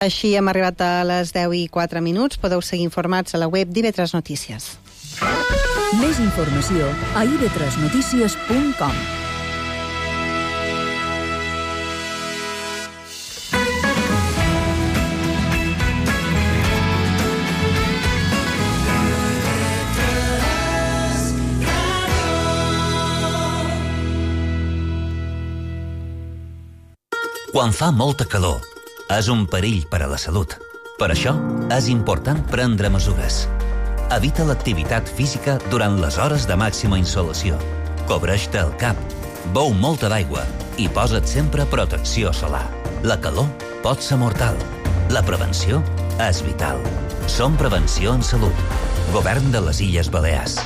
Així hem arribat a les 10:04. Podeu seguir informats a la web d'IV3 Notícies. Més informació a iv3notícies.com. Quan fa molta calor, és un perill per a la salut. Per això, és important prendre mesures. Evita l'activitat física durant les hores de màxima insolació. Cobreix-te el cap, beu molta d'aigua i posa't sempre protecció solar. La calor pot ser mortal. La prevenció és vital. Som Prevenció en Salut. Govern de les Illes Balears.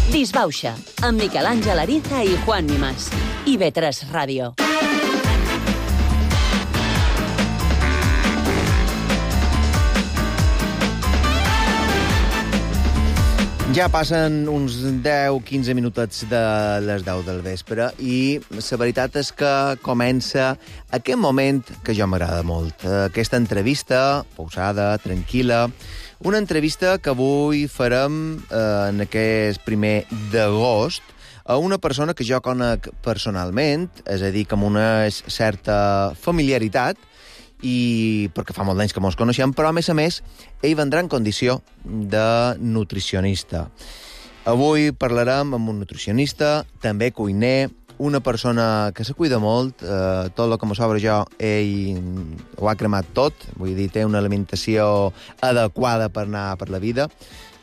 Disbauxa, amb Miquel Àngel Ariza i Juan Nimás. IV3 Ràdio. Ja passen uns 10-15 minutets de les 10 del vespre i la veritat és que comença aquest moment que jo m'agrada molt. Aquesta entrevista pausada, tranquil·la, una entrevista que avui farem en aquest 1 d'agost a una persona que jo conec personalment, és a dir, que amb una certa familiaritat, i perquè fa molt d'anys que mos coneixem, però a més, ell vendrà en condició de nutricionista. Avui parlarem amb un nutricionista, també cuiner, una persona que se cuida molt, tot el que me sobra jo, ell ho ha cremat tot, vull dir, té una alimentació adequada per anar per la vida.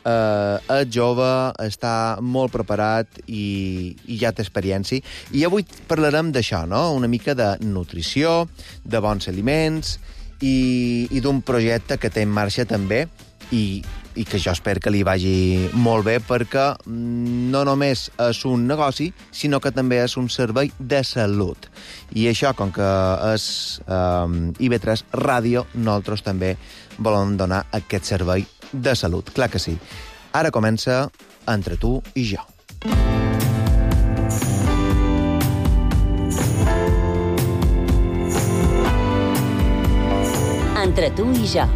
És jove, està molt preparat i ja té experiència. I avui parlarem d'això, no? Una mica de nutrició, de bons aliments i d'un projecte que té en marxa també i que jo espero que li vagi molt bé perquè no només és un negoci, sinó que també és un servei de salut. I això, com que és IV3 Ràdio, nosaltres també volem donar aquest servei de salut, clar que sí. Ara comença Entre tu i jo. Entre tu i jo.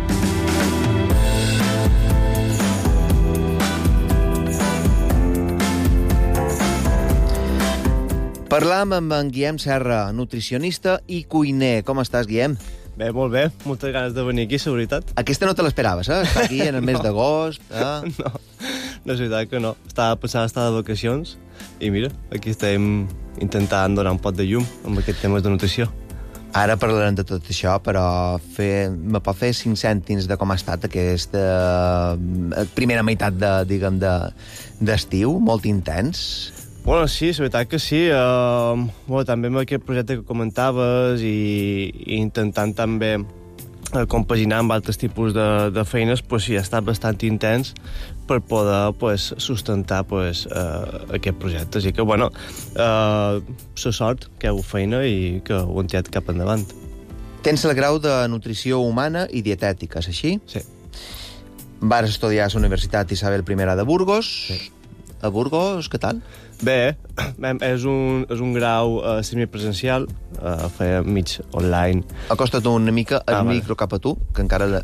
Parlam amb en Guillem Serra, nutricionista i cuiner. Com estàs, Guillem? Bé, molt bé. Moltes ganes de venir aquí, la veritat. Aquesta no te l'esperaves, Estar aquí en el mes d'agost. No, és veritat que no. Estava pensant estar de vacacions i mira, aquí estem intentant donar un pot de llum amb aquests temes de nutrició. Ara parlarem de tot això, però me pot fer 5 cèntims de com ha estat aquesta primera meitat d'estiu, molt intens. Bueno, sí, és veritat que sí. També amb aquest projecte que comentaves i intentant també compaginar amb altres tipus de feines, pues sí, ha estat bastant intens per poder sustentar aquest projecte. Així que, bueno, la sort que heu feina i que ho hem tirat cap endavant. Tens el grau de nutrició humana i dietètica, és així? Sí. Vas estudiar a la Universitat Isabel I de Burgos. Sí. A Burgos, què tal? Bé, és un grau semipresencial, feia mig online. Acosta't una mica el micro cap a tu, que encara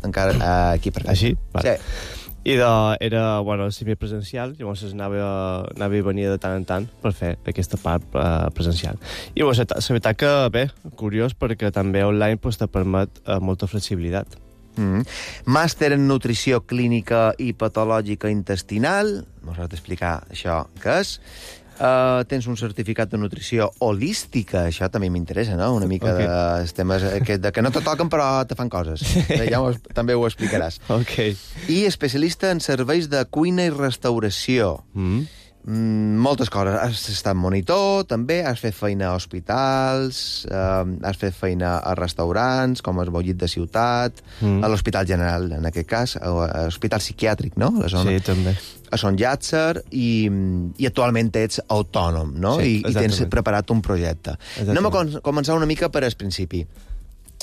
aquí per Així? Vale. Sí. I era semipresencial, llavors anava i venia de tant en tant per fer aquesta part presencial. I la veritat que, bé, curiós, perquè també online te permet molta flexibilitat. Màster en nutrició clínica i patològica intestinal. M'ho has d'explicar això què és. Tens un certificat de nutrició holística. Això també m'interessa, no? Una mica de temes que no te toquen però te fan coses. Ja també ho explicaràs. Okay. I especialista en serveis de cuina i restauració. Moltes coses. Has estat monitor, també, has fet feina a hospitals, has fet feina a restaurants, com el Bollit de Ciutat, a l'Hospital General, en aquest cas, a l'Hospital Psiquiàtric, no? Sí, també. A Son Llàtzer, i actualment ets autònom, no? Sí, I tens preparat un projecte. Anem a començar una mica per al principi.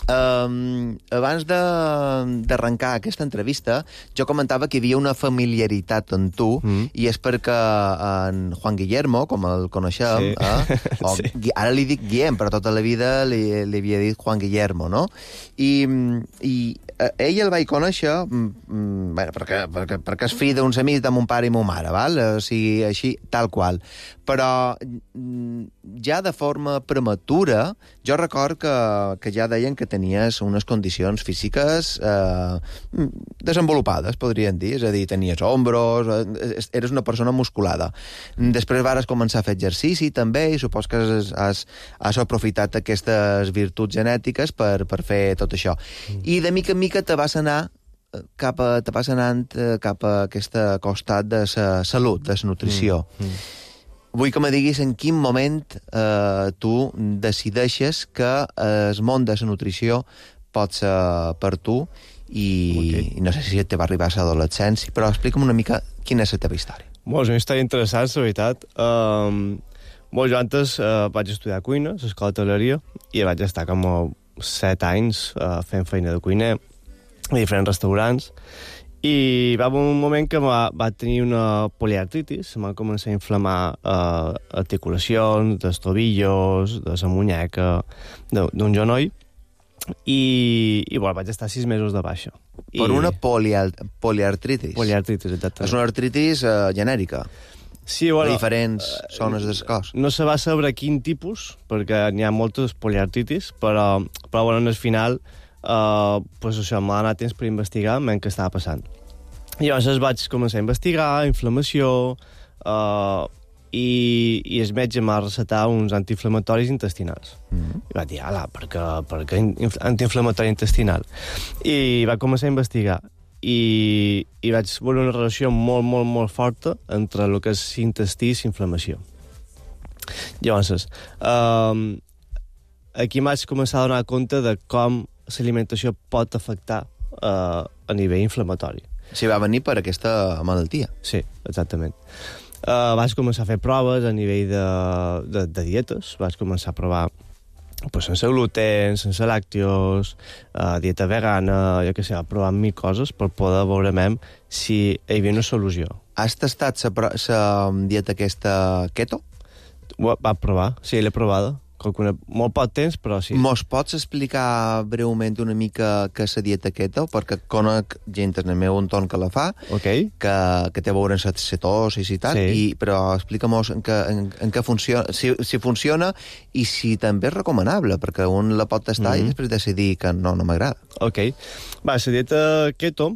abans d'arrencar aquesta entrevista, jo comentava que hi havia una familiaritat amb tu, i és perquè en Juan Guillermo, com el coneixem, ara li dic Guillem, però tota la vida li havia dit Juan Guillermo, no? I ell el vaig conèixer perquè és fill d'uns amics de mon pare i mon mare, val? O sigui, així, tal qual. Però ja de forma prematura, jo record que ja deien que tenies unes condicions físiques desenvolupades, podríem dir. És a dir, tenies ombros, eres una persona musculada. Després vares començar a fer exercici, també, i supos que has aprofitat aquestes virtuts genètiques per fer tot això. I de mica en mica te vas anar cap a aquest costat de la salut, de la nutrició. Vull que me diguis en quin moment tu decideixes que el món de la nutrició pot ser per tu i no sé si te va arribar a l'adolescència, però explica'm una mica quina és la teva història. És una història interessant, la veritat. Jo antes vaig estudiar cuina, a l'escola d'hoteleria, i vaig estar com 7 anys fent feina de cuiner a diferents restaurants, i va haver un moment que va tenir una poliartritis, em va començar a inflamar articulacions, dels tobillos, de la muñeca, d'un genoll, i vaig estar 6 mesos de baixa. Per una poliartritis? Poliartritis, exactament. És una artritis genèrica? Sí, a diferents zones del cos. No se va saber quin tipus, perquè n'hi ha moltes poliartritis, però al final això m'ha donat temps per investigar què estava passant. I llavors vaig començar a investigar, inflamació, i el metge m'ha recetat uns antiinflamatoris intestinals. I va dir, per què antiinflamatori intestinal? I va començar a investigar. I vaig veure una relació molt, molt, molt forta entre el que és intestí i inflamació. Llavors, aquí vaig començar a donar compte de com l'alimentació pot afectar a nivell inflamatori. Sí, va venir per aquesta malaltia. Sí, exactament. Vaig començar a fer proves a nivell de dietes. Vaig començar a provar sense gluten, sense làctios, dieta vegana, jo què sé, provar 1000 coses per poder veure si hi havia una solució. Has tastat la dieta aquesta keto? Va provar, sí, l'he provada. Molt poc temps, però sí. Mos pots explicar breument una mica què és la dieta keto? Perquè conec gent en el meu entorn que la fa, que té a veure amb cetosis i tal, però explica-mos en què funciona, si funciona i si també és recomanable, perquè un la pot tastar i després decidir que no m'agrada. La dieta keto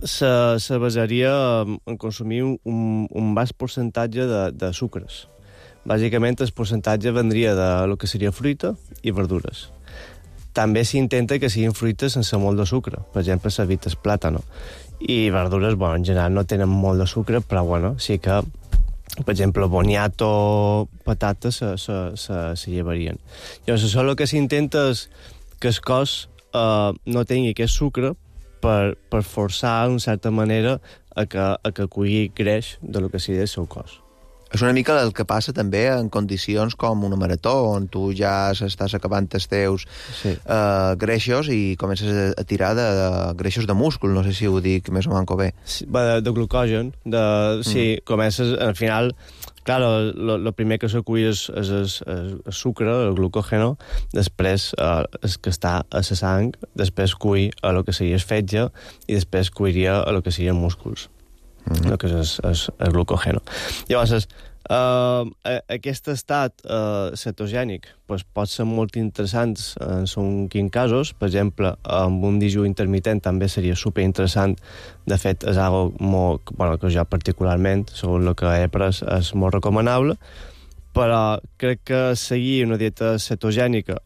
se basaria en consumir un baix percentatge de sucres. Bàsicament, el percentatge vendria de lo que seria fruita i verdures. També s'intenta que siguin fruites sense molt de sucre. Per exemple, s'evita el plàtano. I verdures, en general no tenen molt de sucre, però sí que, per exemple, boniato, patates se llevarien. Llavors, això el que s'intenta és que el cos no tingui aquest sucre per forçar, d'una certa manera, a que aculli greix de lo que seria el seu cos. És una mica el que passa també en condicions com una marató, on tu ja estàs acabant els teus greixos i comences a tirar de greixos de múscul, no sé si ho dic més o manco bé. De glucogen, sí, comences, al final, clar, el primer que s'acull és el sucre, el glucògeno, després el que està a la sang, després cull a lo que seria el fetge i després cuiria a lo que serien músculs. El que és el glucògeno. Llavors, aquest estat cetogènic pot ser molt interessant en quins casos. Per exemple, amb un dijú intermitent també seria superinteressant. De fet, és algo que jo particularment, segons el que he pres, és molt recomanable, però crec que seguir una dieta cetogènica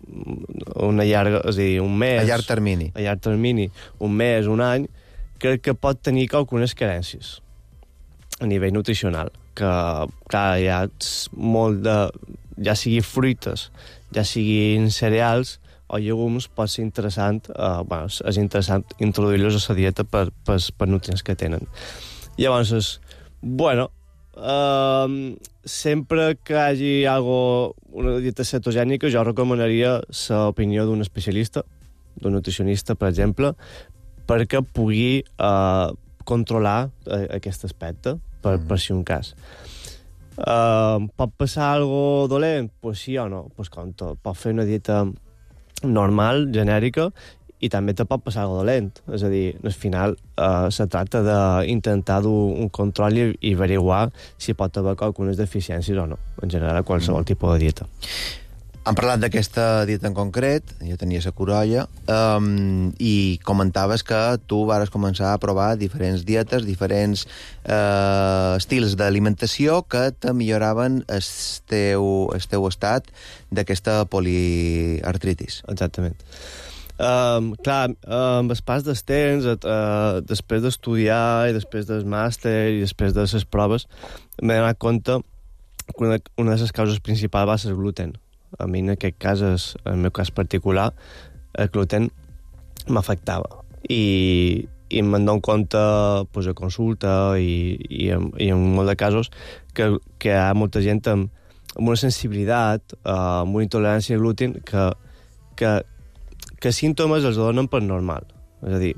una llarga, és a dir, un mes... A llarg termini, un mes, un any, crec que pot tenir algunes carències a nivell nutricional, que, clar, hi ha molt de... ja sigui fruites, ja siguin cereals o llegums, pot ser interessant, és interessant introduir-los a la dieta per nutrients que tenen. Llavors, sempre que hi hagi una dieta cetogènica, jo recomanaria l'opinió d'un especialista, d'un nutricionista, per exemple, perquè pugui controlar aquest aspecte, per si un cas. Pot passar algo dolent? Pues sí o no. Pues com tot. Pot fer una dieta normal, genèrica, i també te pot passar algo dolent. És a dir, al final se tracta d'intentar dur un control i averiguar si pot haver algunes deficiències o no, en general, qualsevol tipus de dieta. Hem parlat d'aquesta dieta en concret, jo tenia la corolla, i comentaves que tu vares començar a provar diferents dietes, diferents estils d'alimentació que te milloraven el teu estat d'aquesta poliartritis. Exactament. Clar, amb el pas del temps, després d'estudiar i després del màster i després de les proves, m'he donat compte que una de les causes principals va ser el gluten. A mi, en aquest cas, en el meu cas particular, el gluten m'afectava. I me'n dono compte pues, a consulta i en molt de casos que hi ha molta gent amb una sensibilitat, amb una intolerància al gluten que símptomes els donen per normal. És a dir,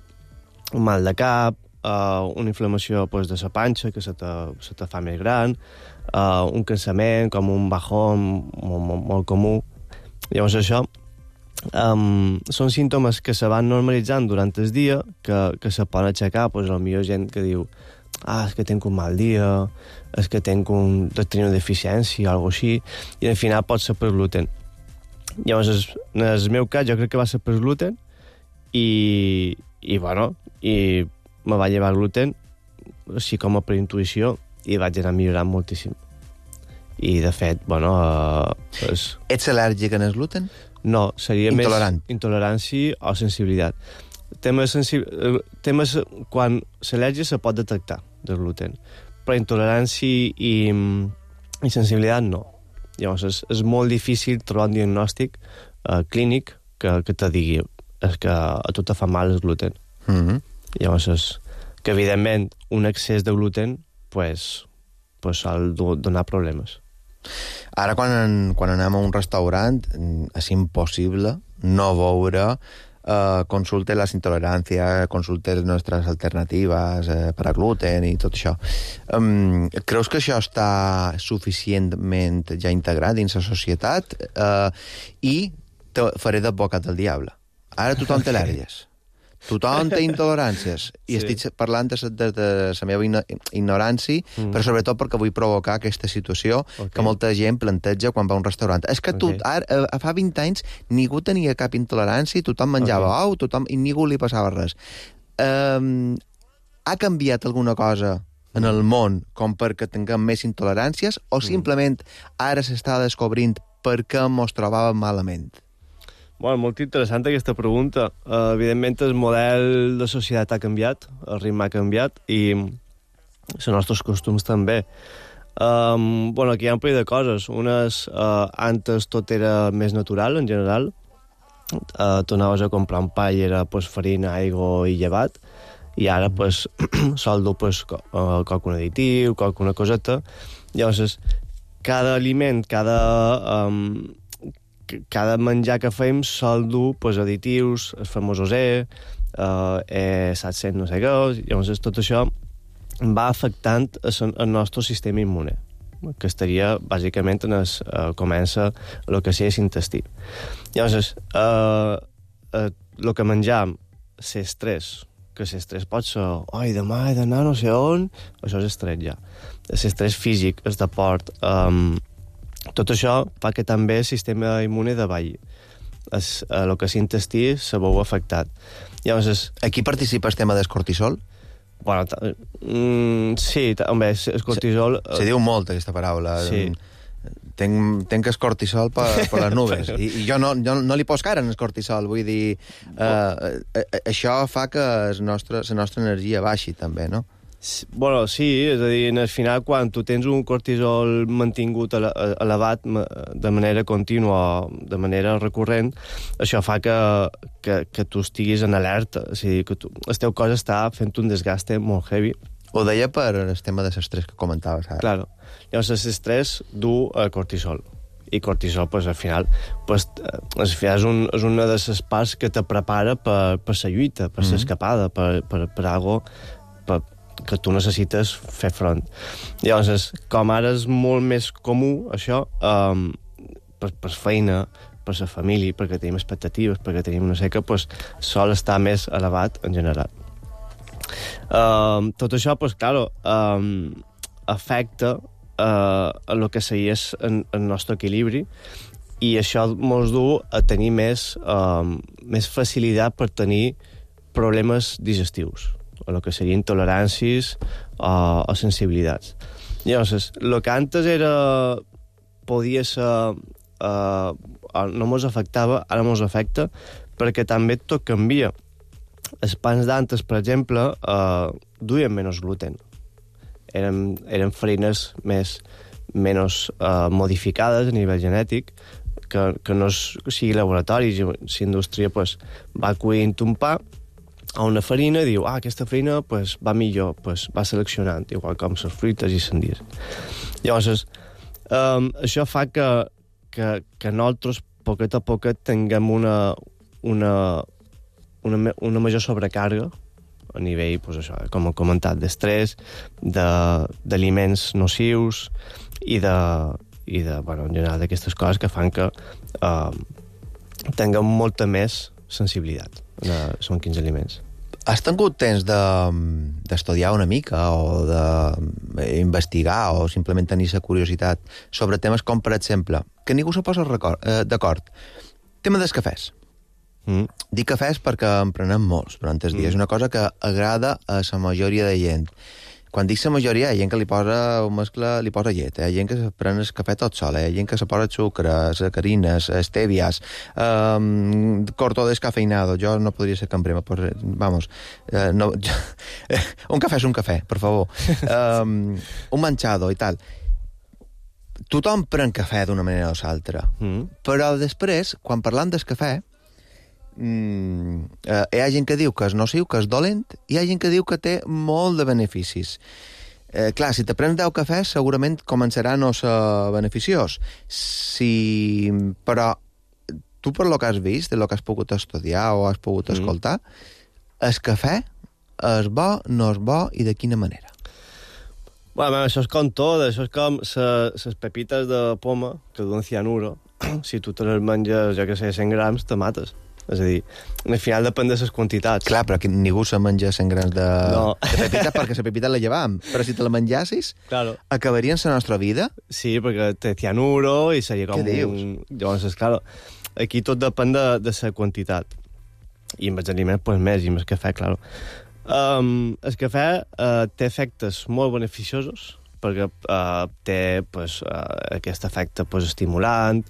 un mal de cap, una inflamació pues, de la panxa que se te fa més gran, un cansament, com un bajón molt comú. Llavors això són símptomes que se van normalitzant durant el dia, que se poden aixecar, pues, potser gent que diu és que tinc un mal dia, és que tenir una deficiència, o alguna cosa així, i al final pot ser per gluten. Llavors, en el meu cas, jo crec que va ser per gluten, i me va llevar gluten, així com per intuïció, i vaig anar millorant moltíssim. I, de fet, Ets al·lèrgic en el gluten? No, seria intolerant. Més intolerància o sensibilitat. Temes quan l'al·lèrgia se pot detectar del gluten, però intolerància i sensibilitat no. Llavors, és molt difícil trobar un diagnòstic clínic que te digui que a tu te fa mal el gluten. Llavors, que evidentment un excés de gluten sol donar problemes. Ara, quan anem a un restaurant, és impossible no veure consulte les intoleràncies, consulte les nostres alternatives per a gluten i tot això. Creus que això està suficientment ja integrat dins la societat? I te faré d'advocat del diable. Ara tothom té al·lèrgies. Tothom té intoleràncies. I estic parlant de la meva ignorància, però sobretot perquè vull provocar aquesta situació que molta gent planteja quan va a un restaurant. És que fa 20 anys ningú tenia cap intolerància, tothom menjava ou, i ningú li passava res. Ha canviat alguna cosa en el món com perquè tinguem més intoleràncies o simplement ara s'està descobrint perquè mos trobàvem malament? Molt interessant aquesta pregunta. Evidentment, el model de societat ha canviat, el ritme ha canviat i els nostres costums també. Aquí hi ha un parell de coses. Unes, antes tot era més natural, en general. Tu anaves a comprar un pa i era farina, aigua i llevat, i ara sol dur qualcun additiu, qualcuna coseta. Llavors, cada aliment, cada menjar que fem sol dur additius, el famós E700 no sé què, llavors tot això va afectant el nostre sistema immune, que estaria bàsicament comença el que és l'intestí. Llavors, el que menjam, l'estrès, que l'estrès pot ser demà he d'anar no sé on, això és estrès ja. L'estrès físic, el deport, tot això fa que també el sistema immune davalli. El que és l'intestí se veu afectat. Llavors, aquí participa el tema del cortisol? Sí, home, el cortisol... Se diu molt, aquesta paraula. Sí. Tenc el cortisol per les nubes. I jo no li poso cara en el cortisol. Vull dir, això fa que la nostra energia baixi, també, no? Sí, és a dir, al final, quan tu tens un cortisol mantingut elevat de manera contínua, de manera recurrent, això fa que tu estiguis en alerta, és a dir, que el teu cos està fent un desgast molt heavy. Ho deia per el tema de l'estrès que comentaves ara. Claro. Llavors, l'estrès du cortisol. I cortisol, pues, al final, pues, és una de les parts que te prepara per la lluita, per l'escapada, per algo que tu necessites fer front. Llavors, com ara és molt més comú, això, per feina, per la família, perquè tenim expectatives, perquè tenim una seca, pues, sol estar més elevat en general. Tot això, pues, claro, afecta a el que seria el nostre equilibri, i això ens du a tenir més facilitat per tenir problemes digestius, o el que serien intoleràncies o sensibilitats. Llavors, el que antes podia ser no ens afectava, ara ens afecta, perquè també tot canvia. Els pans d'antes, per exemple, duien menys gluten. Eren farines menys modificades a nivell genètic, que no sigui laboratori. Si indústria pues, va cuint un pa a una farina i diu, aquesta farina pues, va millor, pues, va seleccionant, igual com les fruites i sandies. Llavors, això fa que nosaltres, poquet a poquet, tinguem una major sobrecàrrega a nivell, pues, això, com he comentat, d'estrès, d'aliments nocius i bueno, en general d'aquestes coses que fan que tinguem molta més sensibilitat són quins aliments. Has tingut temps d'estudiar una mica o d'investigar o simplement tenir la curiositat sobre temes com, per exemple, que ningú se posa d'acord, tema dels cafès. Dic cafès perquè en prenem molts durant els dies. És una cosa que agrada a la majoria de gent. Quan dic la majoria, hi ha gent que li posa llet, hi ha gent que se pren el cafè tot sol, hi ha gent que se posa sucre, sacarines, estévias, corto descafeinado. Jo no podria ser cambrema, però, vamos, no, un cafè és un cafè, per favor. Un manchado i tal. Tothom pren cafè d'una manera o l'altra, però després, quan parlant del cafè, hi ha gent que diu que és nociu, que és dolent, i hi ha gent que diu que té molt de beneficis. Clar, si te prens 10 cafès, segurament començarà a no ser beneficiós. Però tu, per lo que has vist, el que has pogut estudiar o has pogut escoltar, el cafè és bo, no és bo, i de quina manera? Bueno, això és com tot, això és com les pepites de poma que duen cianuro. Si tu te les menges, jo que sé, 100 grams, te mates. És a dir, al final depèn de les quantitats. Clar, però ningú se menja 100 grams de pepita perquè la pepita la llevam. Però si te la menjassis, claro, acabaria en la nostra vida? Sí, perquè té cianuro i seria com Llavors, clar, aquí tot depèn de la quantitat. I amb els aliments, pues, més, i amb el cafè, clar. El cafè té efectes molt beneficiosos, perquè té pues, aquest efecte pues, estimulant,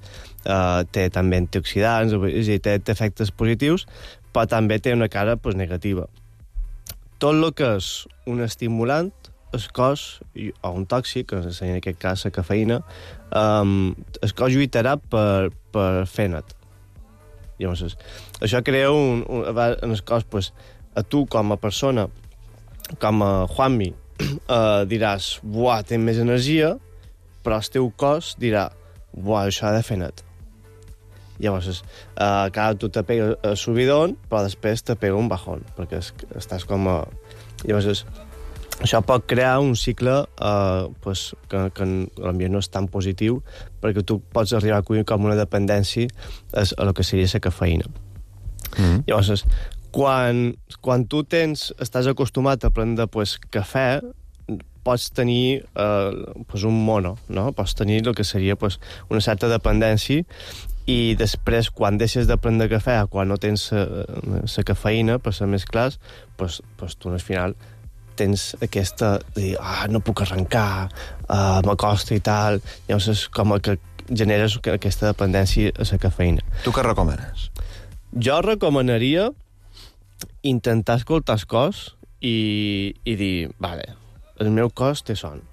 té també antioxidants, té efectes positius, però també té una cara pues, negativa. Tot el que és un estimulant, el cos, o un tòxic, en aquest cas la cafeïna, el cos lluitarà per fer net. Llavors, això crea en el cos, pues, a tu com a persona, com a Juanmi, diràs, buah, té més energia, però el teu cos dirà, buah, això ha de fer net. Llavors, clar, tu te pega el subidón, però després te pega un bajón, perquè estàs com a... Llavors, això pot crear un cicle pues, que potser no és tan positiu, perquè tu pots arribar a acollir com una dependència a el que seria la cafeïna. Llavors, quan tu estàs acostumat a prendre pues, cafè, pots tenir pues, un mono, no? Pots tenir el que seria pues, una certa dependència, i després, quan deixes de prendre cafè, quan no tens la cafeïna, per ser més clars, pues, tu al final tens aquesta de dir, no puc arrencar, m'acosta i tal. Llavors és com que generes aquesta dependència a la cafeïna. Tu què recomanes? Jo recomanaria intentar escoltar el cos i dir, vale, el meu cos té son.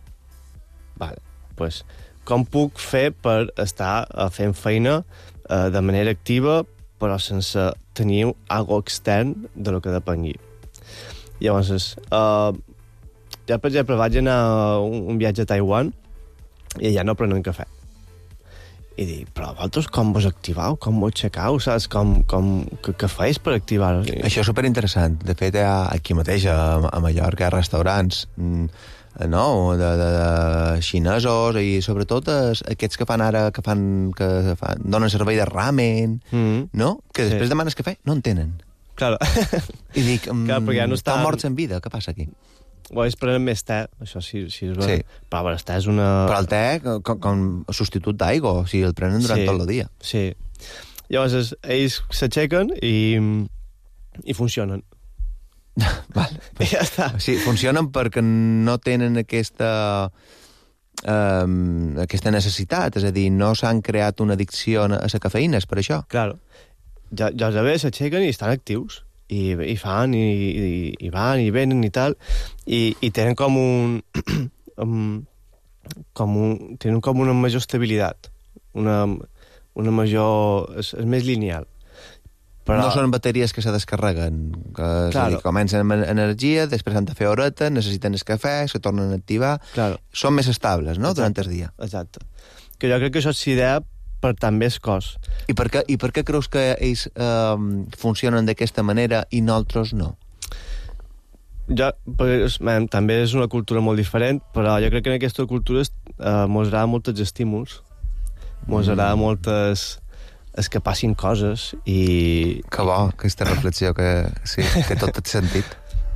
Vale, pues, com puc fer per estar fent feina de manera activa, però sense tenir algo extern de lo que depengui. Llavors, Ja, per exemple, vaig anar a un viatge a Taiwan i allà no prenen cafè. I dic, però vosaltres com vos activau, com vos aixecau, saps? Què fais per activar-ho? Això és superinteressant. De fet, aquí mateix, a Mallorca, hi ha restaurants no? de xinesos i sobretot aquests que donen servei de ramen, no? Que després demanes cafè, no en tenen. Claro. I dic, Clar, ja no estan morts en vida, què passa aquí? O ells prenen més te, això sí és veritat. Sí. Però el te és una... Però el te com a substitut d'aigua, o sigui, el prenen durant tot el dia. Sí. Llavors, ells s'aixequen i funcionen. Vale. I ja està. Sí, funcionen perquè no tenen aquesta necessitat, és a dir, no s'han creat una addicció a la cafeïna, és per això. Claro. Ja s'aixequen i estan actius. I fan, i van, i venen, i tal, i tenen tenen com una major estabilitat, una major... És més lineal. Però... No són bateries que se descarreguen, que claro. Comencen amb energia, després han de fer horeta, necessiten el cafè, se tornen a activar... Claro. Són més estables, no?, Exacte. durant el dia. Exacte. Que jo crec que això és idea per també el cos. I per què creus que ells funcionen d'aquesta manera i nosaltres no? També és una cultura molt diferent, però jo crec que en aquesta cultura mos agrada molts estímuls, mos agrada moltes... és que passin coses i... Que bo, aquesta reflexió que tot té sentit.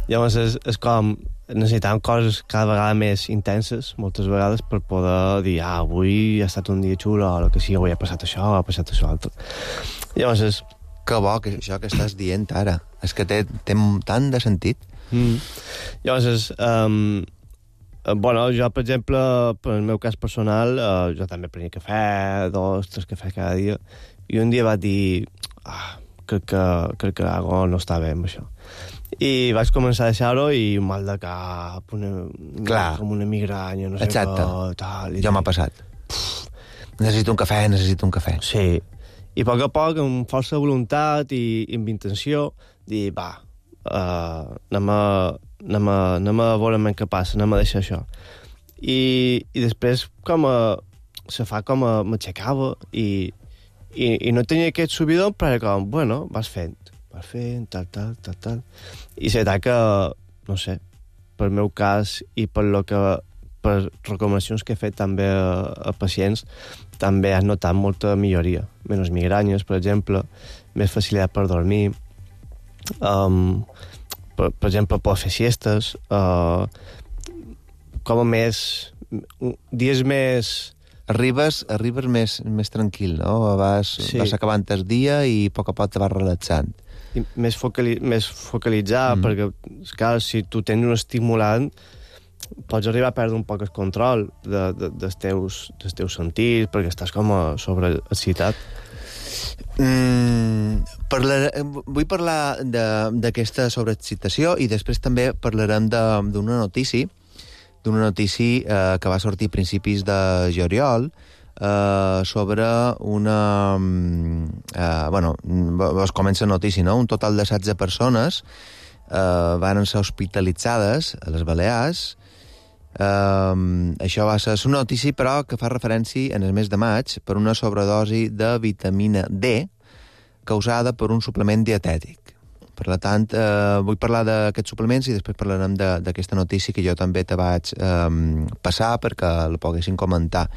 Llavors és com... necessitem coses cada vegada més intenses, moltes vegades, per poder dir, avui ha estat un dia xulo, o que sí, avui ha passat això, ha passat això altre. Llavors és... Que bo, que això que estàs dient ara. És que té tant de sentit. Llavors és... jo, per exemple, per el meu cas personal, jo també prenia cafè, 2-3 cafès cada dia, i un dia vaig dir, crec que algo no està bé amb això. I vaig començar a deixar-ho i un mal de cap, com una migranya, no sé què, tal. Jo m'ha passat. Necessito un cafè. Sí. I a poc, amb força voluntat i amb intenció, dir, anem a veure què passa, anem a deixar això. I després se fa com m'aixecava i no tenia aquest subidon, però com, vas fent, tal. I s'ha que, no sé, pel meu cas i per recomanacions que he fet també a pacients, també has notat molta milloria. Menys migranyes, per exemple, més facilitat per dormir, per exemple, per fer siestes, com a dies més... Arribes més tranquil, no? Vas acabant el dia i a poc te vas relaxant. I més focalitzar, perquè, clar, si tu tens un estimulant, pots arribar a perdre un poc el control dels teus sentits, perquè estàs com sobreexcitat. Vull parlar d'aquesta sobreexcitació i després també parlarem d'una notícia que va sortir a principis de juliol sobre una... vos comença la notícia, no? Un total de 16 persones van ser hospitalitzades a les Balears. Això va ser una notícia, però, que fa referència en el mes de maig per una sobredosi de vitamina D causada per un suplement dietètic. Per tant, vull parlar d'aquests suplements i després parlarem d'aquesta notícia que jo també te vaig passar perquè la poguessin comentar.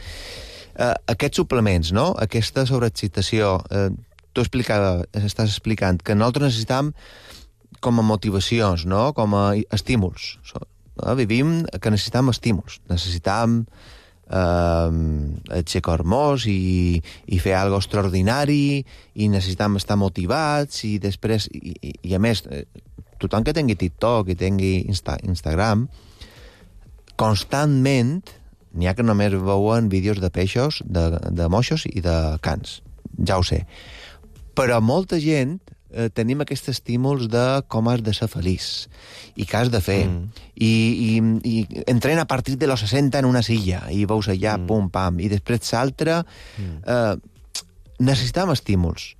Aquests suplements, no? Aquesta sobreexcitació, tu estàs explicant que nosaltres necessitam com a motivacions, no? Com a estímuls. Vivim que necessitam estímuls. Necessitam aixecar hormós i fer alguna cosa extraordinari i necessitam estar motivats i després, i a més, tothom que tingui TikTok i tingui Instagram, constantment n'hi ha que només veuen vídeos de peixos, de moixos i de cans. Ja ho sé. Però molta gent tenim aquests estímuls de com has de ser feliç i què has de fer. I entrena a partir de los 60 en una silla i veus allà, pum, pam, i després l'altre. Necessitam estímuls.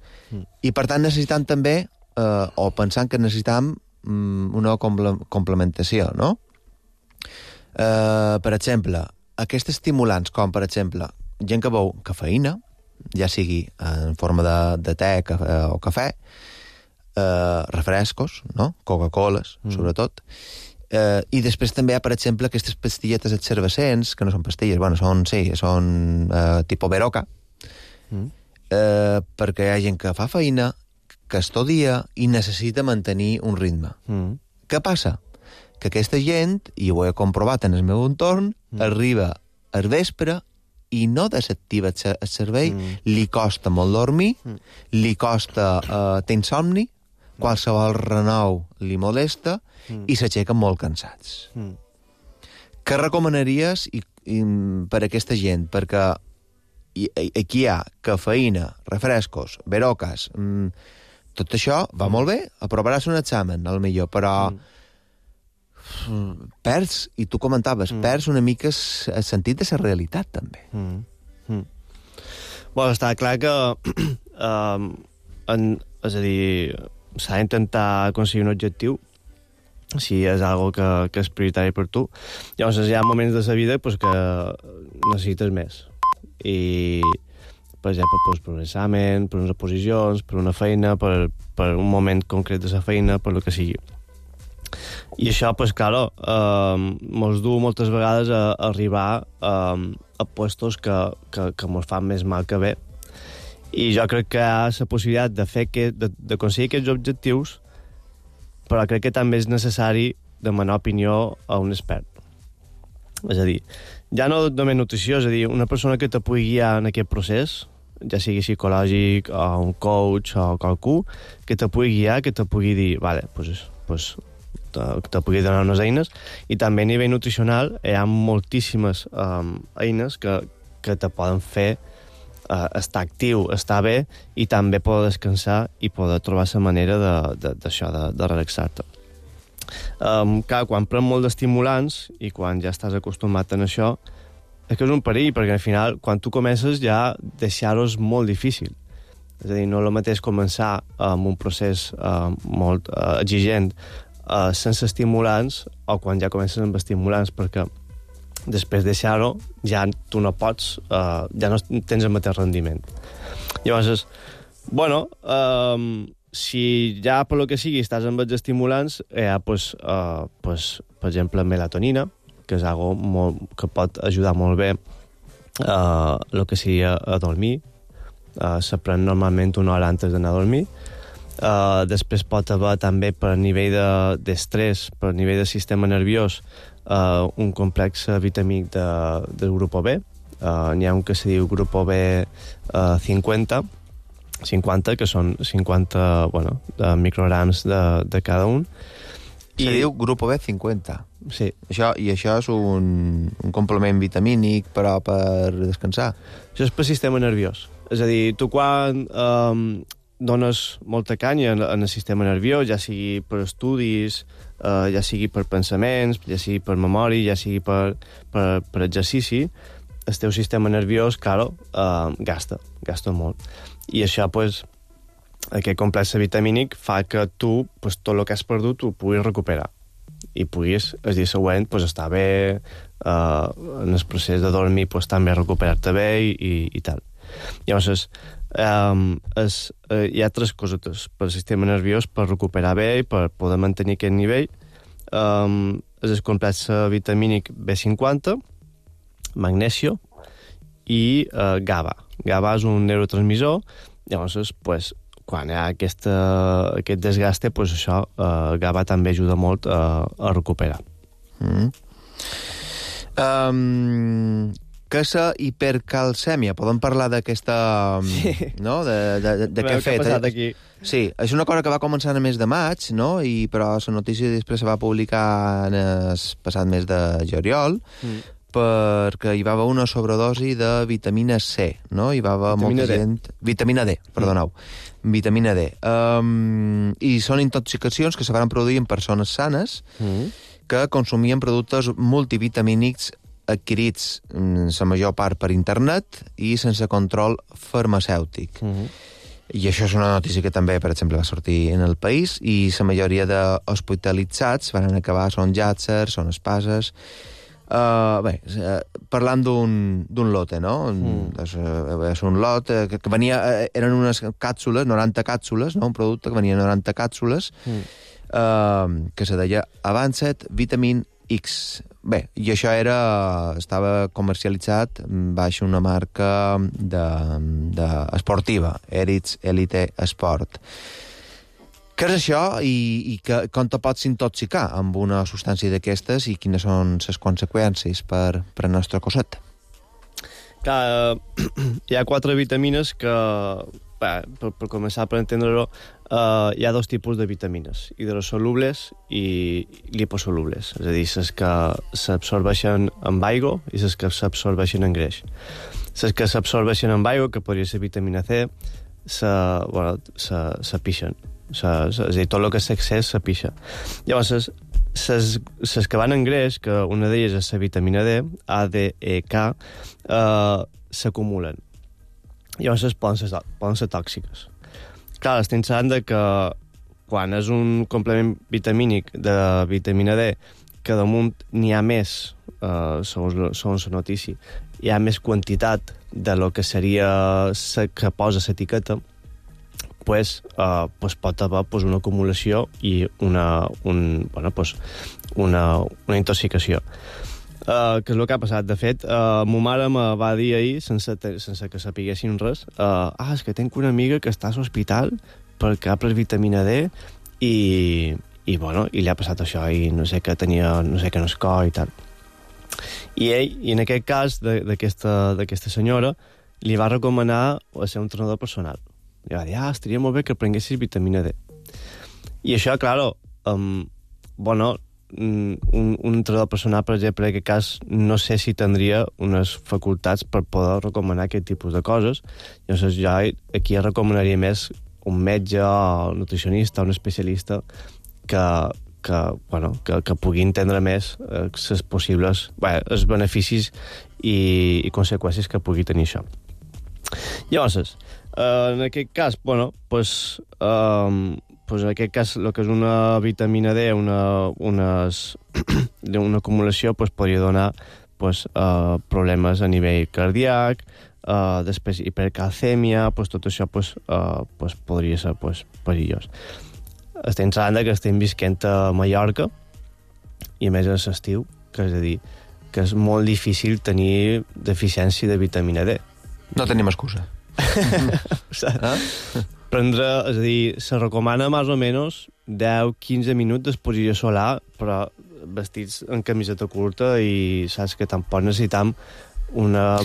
I per tant necessitam també, o pensant que necessitam una complementació, no? Per exemple, aquests estimulants, com per exemple, gent que beu cafeïna, ja sigui en forma de te o cafè, refrescos, no? Coca-Coles, sobretot. I després també hi ha, per exemple, aquestes pastilletes exervescents, que no són pastilles, bueno, són tipus Beroca, perquè hi ha gent que fa feina, que estudia i necessita mantenir un ritme. Què passa? Que aquesta gent, i ho he comprovat en el meu entorn, arriba al vespre i no desactiva el cervell, li costa molt dormir, li costa tenir insomni, qualsevol renou li molesta i s'aixequen molt cansats. Què recomanaries per a aquesta gent? Perquè aquí hi ha cafeïna, refrescos, berocas, tot això va molt bé, aprovaràs un examen, potser, però perds, i tu comentaves, perds una mica el sentit de la realitat, també. Bueno, està clar que és a dir, s'ha d'intentar aconseguir un objectiu si és algo que és prioritari per tu. Llavors hi ha moments de la vida pues, que necessites més. I, per exemple, per un examen, per unes oposicions, per una feina, per un moment concret de la feina, per el que sigui. I això, pues, claro, mos du moltes vegades a arribar a puestos que mos fan més mal que bé. I jo crec que hi ha la possibilitat d'aconseguir aquests objectius, però crec que també és necessari demanar opinió a un expert. És a dir, ja no només nutrició, és a dir, una persona que te pugui guiar en aquest procés, ja sigui psicològic, o un coach, o qualcú, que te pugui guiar, que te pugui dir, vale, pues te pugui donar unes eines, i també a nivell nutricional hi ha moltíssimes eines que te poden fer estar actiu, estar bé, i també poder descansar i poder trobar la manera d'això, de relaxar-te. Clar, quan pren molt d'estimulants i quan ja estàs acostumat en això, és que és un perill, perquè al final, quan tu comences, ja deixar-ho és molt difícil. És a dir, no és el mateix començar amb un procés molt exigent sense estimulants o quan ja comences amb estimulants, perquè després deixar-ho ja tu no pots, ja no tens el mateix rendiment. Llavors, bueno, si ja per lo que sigui estàs amb els estimulants, hi ha, per exemple, melatonina, que és algo que pot ajudar molt bé el que sigui a dormir. Se pren normalment una hora antes d'anar a dormir. Després pot haver també per nivell d'estrès, per nivell de sistema nerviós, un complex vitamínic del grup B. N'hi ha un que se diu grup B 50, que són 50 micrograms de cada un. Se diu grup B 50. Sí. I això és un complement vitamínic, però per descansar. Això és per sistema nerviós. És a dir, tu quan dones molta canya en el sistema nerviós, ja sigui per estudis, ja sigui per pensaments, ja sigui per memòria, ja sigui per exercici, el teu sistema nerviós, claro, gasta molt. I això, aquest complex vitamínic fa que tu, tot el que has perdut, ho puguis recuperar. I puguis, el dia següent, estar bé, en el procés de dormir, també recuperar-te bé i tal. Llavors, hi ha 3 cosetes per al sistema nerviós per recuperar bé i per poder mantenir aquest nivell. És el complex vitamínic B50, magnesio i GABA. GABA és un neurotransmissor, llavors, quan hi ha aquest desgaste, això, GABA també ajuda molt a recuperar. Què és la hipercalcèmia? Podem parlar d'aquesta... Sí. No? De què ha fet? Què ha passat aquí? Sí, és una cosa que va començar en el mes de maig, no? Però la notícia després se va publicar en el passat mes de juliol, perquè hi va haver una sobredosi de vitamina C, no? Hi va haver molta gent... Vitamina D, perdoneu. Vitamina D. I són intoxicacions que se van produir en persones sanes que consumien productes multivitamínics adquirits la major part per internet i sense control farmacèutic. I això és una notícia que també, per exemple, va sortir en el país, i la majoria d'hospitalitzats van acabar, són llàtsers, són espases, Parlant d'un lote, no? És un lot que venia... Eren unes càpsules, 90 càpsules, no? Un producte que venia 90 càpsules, que se deia Avanced Vitamin X. Bé, i això estava comercialitzat baix una marca esportiva, Eritz Elite Sport. Què és això i com te pots intoxicar amb una substància d'aquestes i quines són les conseqüències per al nostre cosset? Clar, hi ha 4 vitamines que, per començar per entendre-ho, hi ha 2 tipus de vitamines, hidrosolubles i liposolubles, és a dir, les que s'absorbeixen amb aigua i les que s'absorbeixen en greix. Les que s'absorbeixen amb aigua, que podria ser vitamina C, s'apixen. És a dir, tot el que s'accés s'apixa. Llavors, les que van en greix, que una d'elles és la vitamina D, A, D, E, K, s'acumulen. Llavors poden ser tòxiques. Clar, estem sabent que quan és un complement vitamínic de vitamina D, que damunt n'hi ha més, segons la notícia, hi ha més quantitat de lo que seria que posa l'etiqueta, pues pot haver una acumulació i una intoxicació. Que és el que ha passat. De fet, ma mare me va dir ahir, sense que sapiguessin res, és que tinc una amiga que està a l'hospital perquè ha pres vitamina D i li ha passat això i no sé què tenia, no sé què en el cor i tal. I ell, i en aquest cas d'aquesta senyora, li va recomanar ser un entrenador personal. I va dir, estaria molt bé que prenguessis vitamina D. I això, claro, un entrenador personal, per exemple, en aquest cas, no sé si tindria unes facultats per poder recomanar aquest tipus de coses. Llavors, jo aquí recomanaria més un metge, un nutricionista, un especialista que pugui entendre més els possibles els beneficis i conseqüències que pugui tenir això. Llavors, en aquest cas, en aquest cas, el que és una vitamina D, una acumulació, podria donar problemes a nivell cardíac, després hipercalcèmia, tot això podria ser perillós. Estem sabent que estem visquent a Mallorca, i a més és l'estiu, que és a dir, que és molt difícil tenir deficiència de vitamina D. No tenim excusa. Prendre, és a dir, se recomana més o menys 10-15 minuts d'exposició solar, però vestits en camiseta curta i saps que tampoc necessitam una...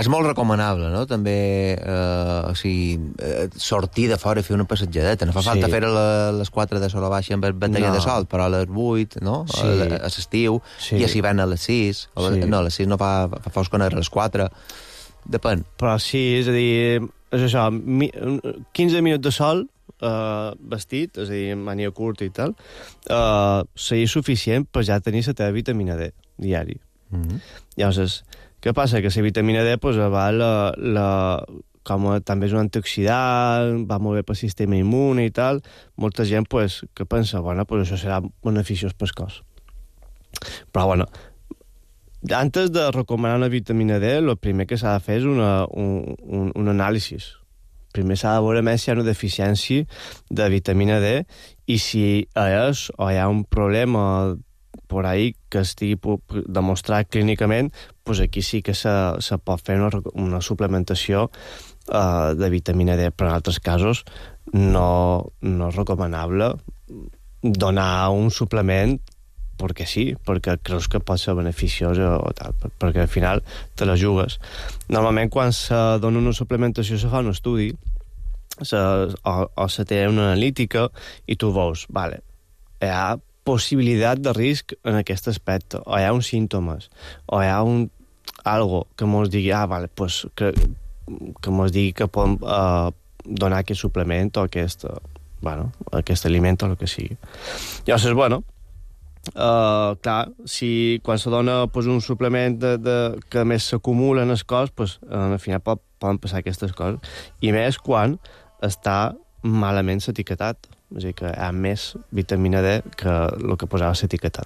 És molt recomanable, no? També sortir de fora i fer una passejadeta. No fa falta fer a les 4 de sola baixa amb batalla de sol, però a les 8, no? A l'estiu, i així van a les 6. No, a les 6 no fa fosc a les 4. Depèn. Però sí, és a dir, és això, 15 minuts de sol vestit, és a dir, màniga curta i tal, seria suficient per ja tenir la teva vitamina D diari. Llavors, què passa? Que la vitamina D com també és un antioxidant, va molt bé pel sistema immune i tal, molta gent que pensa, això serà beneficiós pel cos. Però, antes de recomanar una vitamina D, el primer que s'ha de fer és un anàlisi. Primer s'ha de veure més si hi ha una deficiència de vitamina D i si és o hi ha un problema por ahí que estigui demostrat clínicament, aquí sí que se pot fer una suplementació de vitamina D, però en altres casos no és recomanable donar un suplement perquè sí, perquè creus que pot ser beneficiós o tal, perquè al final te la jugues. Normalment quan se dona una suplementació se fa un estudi o se té una analítica i tu veus, hi ha possibilitat de risc en aquest aspecte, o hi ha uns símptomes, o hi ha algo que mos digui, que mos digui que podem donar aquest suplement o aquest aliment o el que sigui. Llavors, clar, si quan se dona un suplement que més s'acumula en el cos, al final poden passar aquestes coses, i més quan està malament etiquetat, és a dir, que hi ha més vitamina D que el que posava l'etiquetat.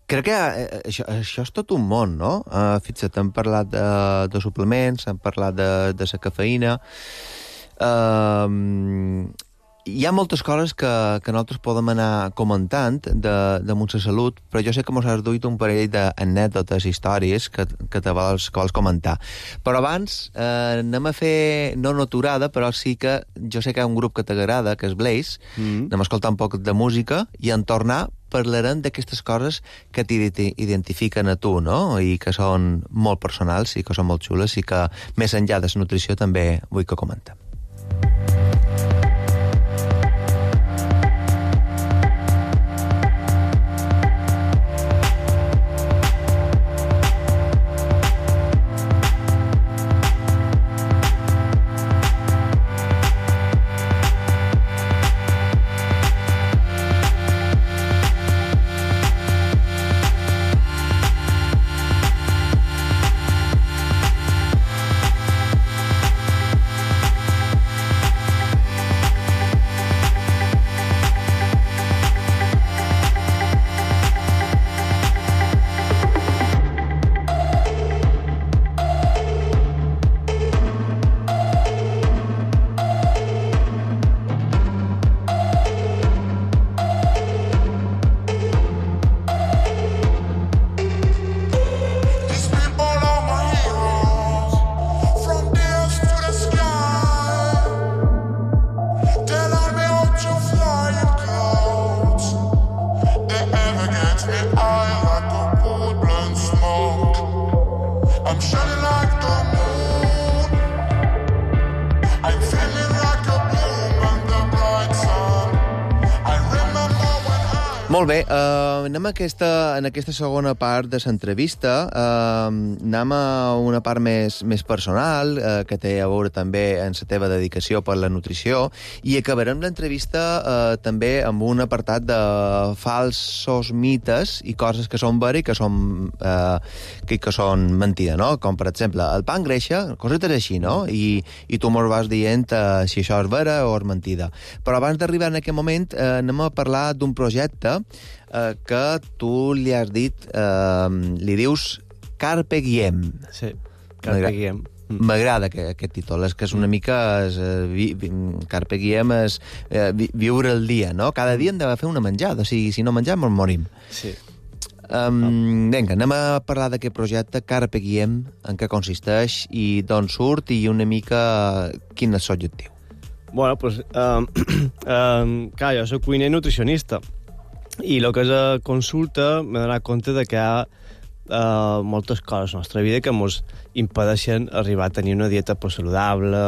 Crec que això és tot un món, no? Fixa't, hem parlat de suplements, hem parlat de la cafeïna. Hi ha moltes coses que nosaltres podem anar comentant de la salut, però jo sé que mos has duit un parell d'anècdotes, històries que te vols comentar. Però abans anem a fer, no una aturada, però sí que jo sé que hi ha un grup que t'agrada, que és Blaze, anem a escoltar un poc de música i en tornar parlarem d'aquestes coses que t'identifiquen a tu, no? I que són molt personals i que són molt xules i que més enllà de la nutrició també vull que comentem. Molt bé, anem en aquesta segona part de l'entrevista, anem a una part més personal, que té a veure també en la teva dedicació per la nutrició, i acabarem l'entrevista també amb un apartat de falsos mites i coses que són veres i que són mentida, no? Com, per exemple, el pa engreixa, cosetes així, no? I tu mos vas dient si això és vera o és mentida. Però abans d'arribar en aquest moment, anem a parlar d'un projecte que tu li has dit, li dius Carpe Diem. Sí, Carpe Diem. M'agrada aquest títol, és que és una mica... Carpe Diem és viure el dia, no? Cada dia hem de fer una menjada, si no mengem ens morim. Sí. Vinga, anem a parlar d'aquest projecte Carpe Diem, en què consisteix i d'on surt i una mica quin és l'objectiu. Bueno, doncs, clar, jo soc cuiner i nutricionista, i el que és a consulta m'he donat compte de que hi ha moltes coses a la nostra vida que ens impedeixen arribar a tenir una dieta saludable,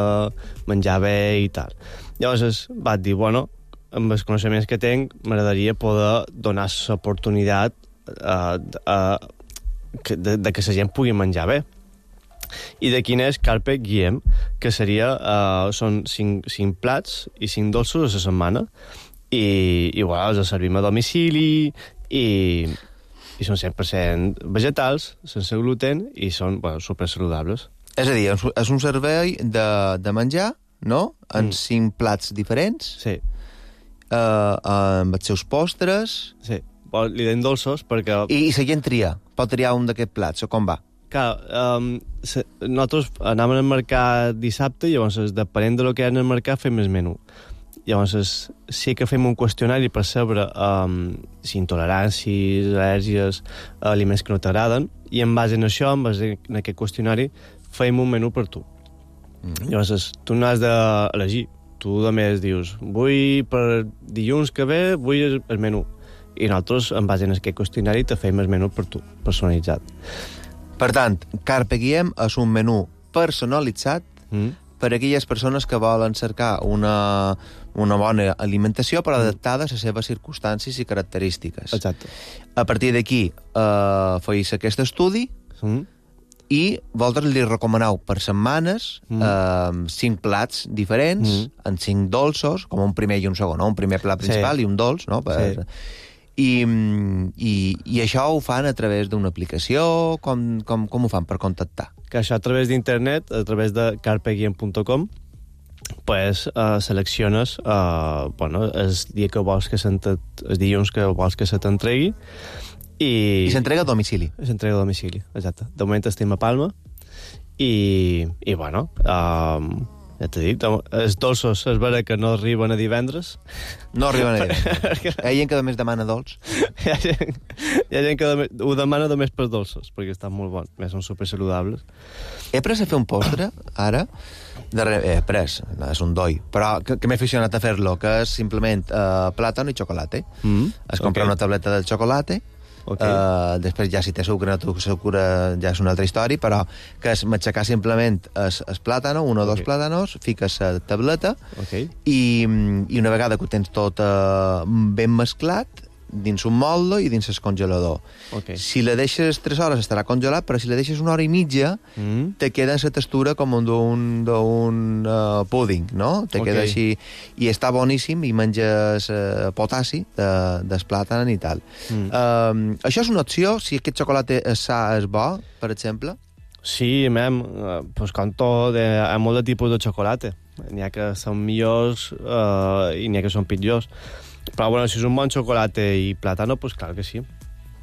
menjar bé i tal. Llavors vaig dir, bueno, amb els coneixements que tinc m'agradaria poder donar l'oportunitat de que la gent pugui menjar bé. I de quin és Carpe Diem, que són 5 plats i 5 dolços a la setmana, i bueno, els servim a domicili i són 100% vegetals, sense gluten, i són supersaludables. És a dir, és un servei de menjar, no? En 5 plats diferents, sí. Amb els seus postres... Sí, li deim dolços perquè... I la gent pot triar un d'aquests plats, o com va? Clar, nosaltres anàvem al mercat dissabte i llavors, depenent del que hi ha en el mercat, fem el menú. Llavors, sí que fem un qüestionari per saber si intoleràncies, al·lèrgies, aliments que no t'agraden, i en base a això, en base a aquest qüestionari, fem un menú per tu. Llavors, tu no has d'elegir. Tu, a més, dius, vull per dilluns que ve, vull el menú. I nosaltres, en base a aquest qüestionari, te fem el menú per tu, personalitzat. Per tant, Carpe Diem és un menú personalitzat per a aquelles persones que volen cercar una bona alimentació però adaptada a les seves circumstàncies i característiques. Exacte. A partir d'aquí feis aquest estudi i vosaltres li recomaneu per setmanes 5 plats diferents, en 5 dolços, com un primer i un segon, no? Un primer plat principal i un dolç, no? I això ho fan a través d'una aplicació? Com ho fan per contactar? Que això a través d'internet, a través de carpediem.com, selecciones el dia que vols que el dilluns que vols que se t'entregui I s'entrega a domicili. S'entrega a domicili, exacte. De moment estem a Palma i bueno, ja t'he dit, els dolços és vera que no arriben a divendres. No arriben a divendres. Hi ha gent que només demana dolç. Hi ha gent que ho demana només per dolços, perquè estan molt bons, més són supersaludables. He pres a fer un postre, ara. He pres, és un doi, però que m'he aficionat a fer-lo, que és simplement plàtan i xocolata. Es compra una tableta de xocolata. Després ja si té sucre ja és una altra història, però que és m'aixecar simplement el plàtano, un o dos plàtanos, fiques la tableta i una vegada que ho tens tot ben mesclat dins un molde i dins el congelador. Si la deixes 3 hores estarà congelat, però si la deixes 1 hora i mitja te queda la textura com d'un púding, no? Te queda així, i està boníssim i menges potassi del plàtan i tal. Això és una opció, si aquest xocolata és sa, és bo, per exemple? Sí, pues com tot, hi ha molt de tipus de xocolata. N'hi ha que són millors i n'hi ha que són pitjors. Però bueno, si és un bon xocolata i plàtano, pues clar que sí.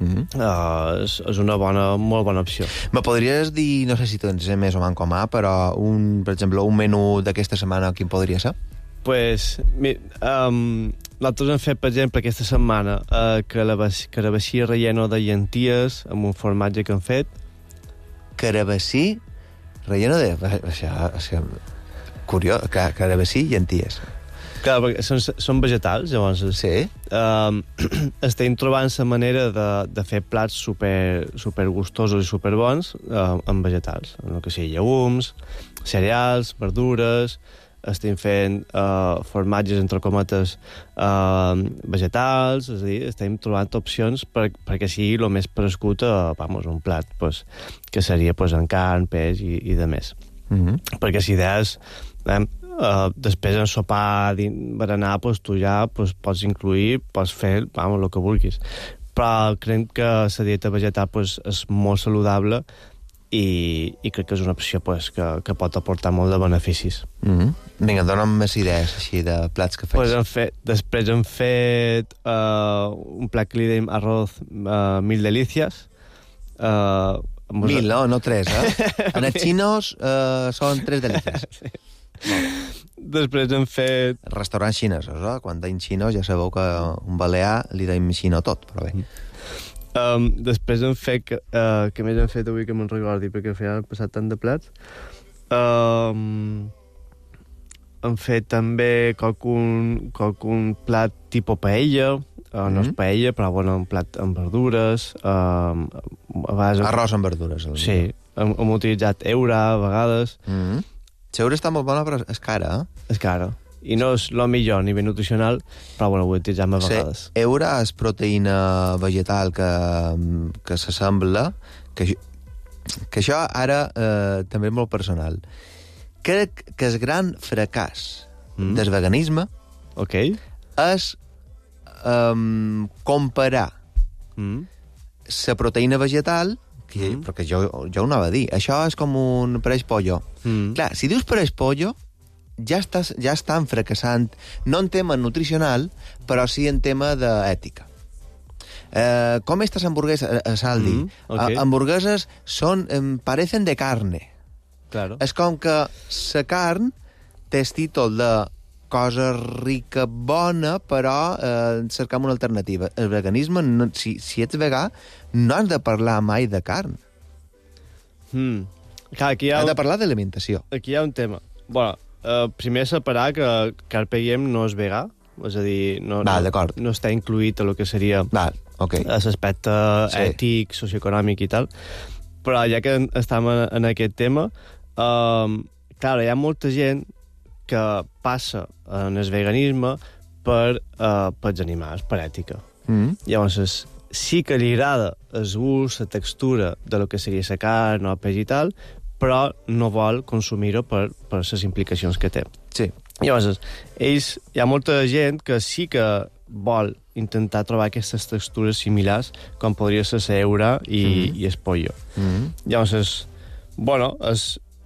És una molt bona opció. Me podries dir, no sé si tens més o manco mà, però per exemple, un menú d'aquesta setmana, quin podria ser? Pues, nosaltres hem fet, per exemple, aquesta setmana carabassí relleno de llenties amb un formatge que hem fet. Carabassí relleno de... Curiós, carabassí i llenties. Clar, perquè són vegetals, llavors... Sí. Estem trobant la manera de fer plats super gustosos i super bons amb vegetals. El que sigui llegums, cereals, verdures... Estem fent formatges, entre cometes, vegetals, és a dir, estem trobant opcions perquè sigui el més prescut a un plat, que seria en carn, peix i de més. Perquè si des... després en sopar, berenar, tu ja pots incluir, pots fer el que vulguis. Però crec que la dieta vegetal és molt saludable i crec que és una opció que pot aportar molt de beneficis. Vinga, dona'm més idees així de plats que fes. Després hem fet un plat que li dèiem arroz mil delicias. Mil, no 3, En els xinos són 3 delicias. Després hem fet... Restaurants xinesos, Quan deim xinos ja sabeu que un balear li deim xino tot, però bé. Després hem fet... Què més hem fet avui que me'n recordi, perquè al final han passat tant de plats. Hem fet també qualcun plat tipus paella, no és paella, però un plat amb verdures. Arròs amb verdures. Sí, hem utilitzat eura a vegades. Seure està molt bona, però és cara, És cara. I no és el millor a nivell nutricional, però ho utilitzem a vegades. Eura és proteïna vegetal que s'assembla, que això ara també és molt personal. Crec que el gran fracàs del veganisme és comparar la proteïna vegetal, perquè jo ho anava a dir, això és com un pareix pollo. Clar, si dius pareix pollo, ja estan fracassant, no en tema nutricional, però sí en tema d'ètica. Com estas hamburguesas, Saldi, hamburguesas parecen de carne. Claro. És com que la carn té el títol de cosa rica, bona, però cercam una alternativa. El veganisme, si ets vegà, no has de parlar mai de carn. Clar, has de parlar d'alimentació. Aquí hi ha un tema. Bueno, primer separar que Carpe Diem no és vegà, és a dir, no està incluït a lo que seria l'aspecte ètic, socioeconòmic i tal. Però ja que estem en aquest tema, clar, hi ha molta gent que passa en el veganisme pels animals, per ètica. Llavors, sí que li agrada el gust, la textura de lo que seria la carn o el peix i tal, però no vol consumir-ho per les implicacions que té. Sí. Llavors, hi ha molta gent que sí que vol intentar trobar aquestes textures similars, com podria ser l'eura i el pollo. Llavors,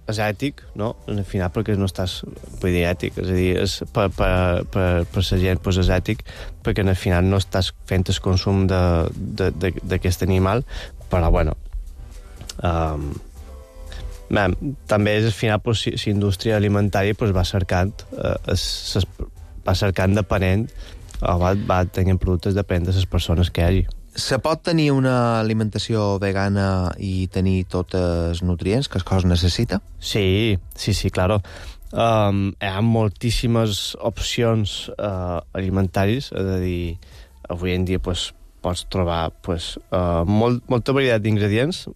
és ètic, no? Al final, perquè no estàs... Vull dir, ètic, és a dir, per la gent pues, és ètic, perquè al final no estàs fent el consum d'aquest animal, però, bueno... també és, al final, pues, la indústria alimentària pues, va cercant depenent, o va tenint productes depenent de les persones que hi hagi. Se pot tenir una alimentació vegana i tenir tots els nutrients que el cos necessita? Sí, claro. Hi ha moltíssimes opcions alimentaris, és a dir, avui en dia pues, pots trobar pues, molta varietat d'ingredients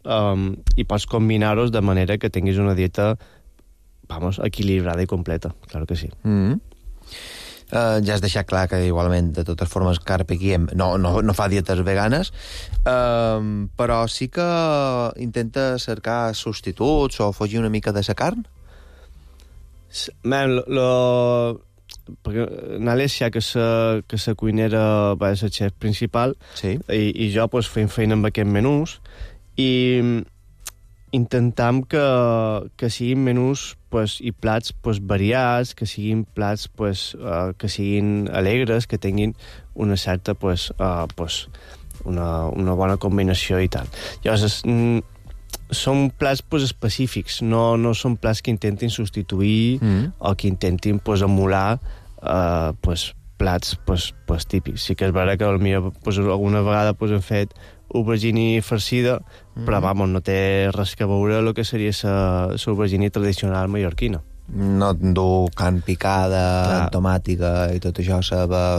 i pots combinar-los de manera que tinguis una dieta equilibrada i completa, claro que sí. Ja has deixat clar que igualment de totes formes Carpe Diem no fa dietes veganes, però sí que intenta cercar substituts o fugir una mica de la carn? Perquè n'Alessia, que la cuinera va ser el xef principal, sí. i jo pues, fem feina amb aquests menús i intentam que siguin menús pues, i plats pues, variats, que siguin plats pues, que siguin alegres, que tinguin una certa pues, una bona combinació i tal. Llavors, són plats pues, específics, no són plats que intentin substituir o que intentin pues, emular pues, plats pues, típics. Sí que és vera que pues, alguna vegada pues, hem fet aubergine farcida, però no té res que veure el que seria la aubergine tradicional mallorquina. No du carn picada, tomàtica i tot això,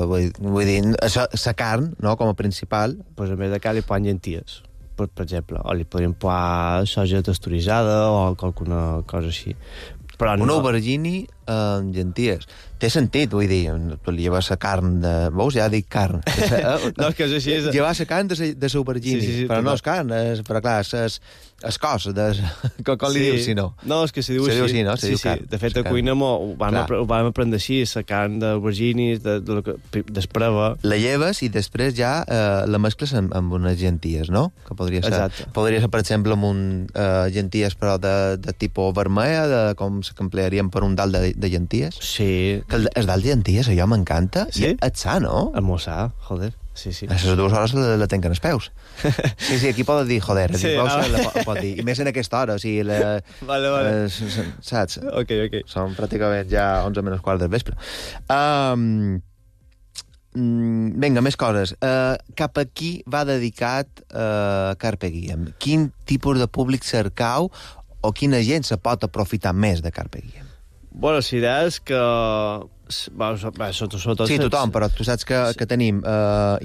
vull dir, la carn, no?, com a principal. Pues en vez de carn li posen llenties, per exemple, o li podríem posar soja texturitzada o alguna cosa així. Però una aubergine amb llenties. Té sentit, vull dir, tu li lleves la carn de... Veus? Ja dic carn. No, és que és així. Llevar la carn de l'aubergine, sí, però no és carn, però clar, és cos, com li dius, si no? No, és que se diu així. No? Se diu carn. De fet, a cuina ho vam aprendre així, la carn d'aubergine, d'espreva. La lleves i després ja la mescles amb unes llenties, no? Que podria ser, per exemple, amb llenties però de tipus vermella, com que emplearíem per un dalt de llenties. Sí. Que el dalt de llenties, allò m'encanta. Sí? I et sa, no? El mossà, joder. Sí. A les 2 hores la tenc en els peus. Sí, aquí pot dir, joder, sí, pot dir. I més en aquesta hora, o sigui... Vale. Saps? Ok. Són pràcticament ja 11:15 del vespre. Vinga, més coses. Cap a qui va dedicat Carpe Diem? Quin tipus de públic cercau o quina gent se pot aprofitar més de Carpe Diem? Bueno, la idea és que... sobretot... Sí, tothom, però tu saps que tenim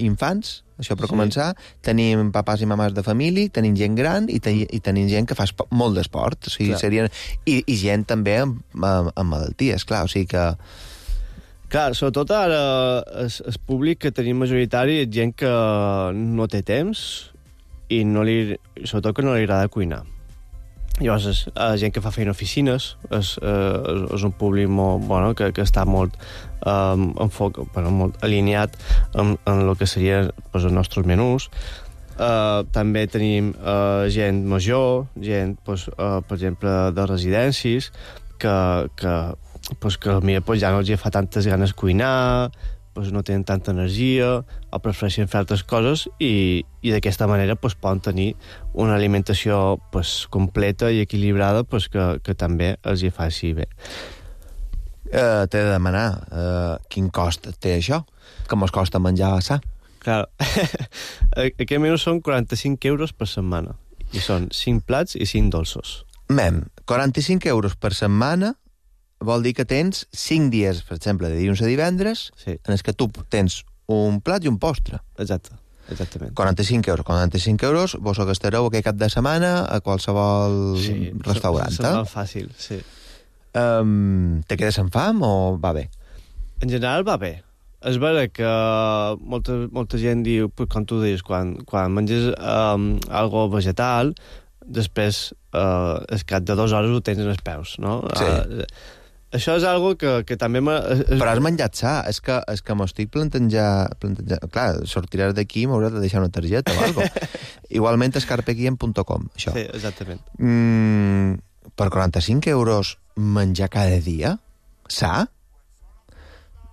infants, això per començar, tenim papàs i mamàs de família, tenim gent gran i tenim gent que fa molt d'esport, o sigui, i gent també amb malalties, clar, o sigui que... Clar, sobretot ara el públic que tenim majoritari és gent que no té temps i sobretot que no li agrada cuinar. Llavors, és gent que fa feina a oficines, és un públic molt, que està molt molt alineat amb el que serien els nostres menús. També tenim gent major, gent, per exemple, de residències, que potser ja no els fa tantes ganes cuinar, no tenen tanta energia o prefereixen fer altres coses i d'aquesta manera poden tenir una alimentació completa i equilibrada que també els hi faci bé. T'he de demanar quin cost té això? Que mos costa menjar sa? Clar, aquest menú són 45 euros per setmana i són 5 plats i 5 dolços. 45 euros per setmana vol dir que tens 5 dies, per exemple, de dilluns a divendres, en els que tu tens un plat i un postre. Exactament. 45 euros, vos ho gastareu aquest cap de setmana a qualsevol restaurant. Sí, és fàcil, sí. Te quedes amb fam o va bé? En general va bé. És vera que molta gent diu, com tu deies, quan menges algo vegetal, després, al cap de 2 hores ho tens en els peus, no? Sí. Això és algo que també... Però has menjat sa, és que m'ho estic plantejant... Clar, sortiràs d'aquí i m'hauràs de deixar una targeta o alguna cosa. Igualment és carpediem.com, això. Sí, exactament. per 45 euros menjar cada dia? Sa?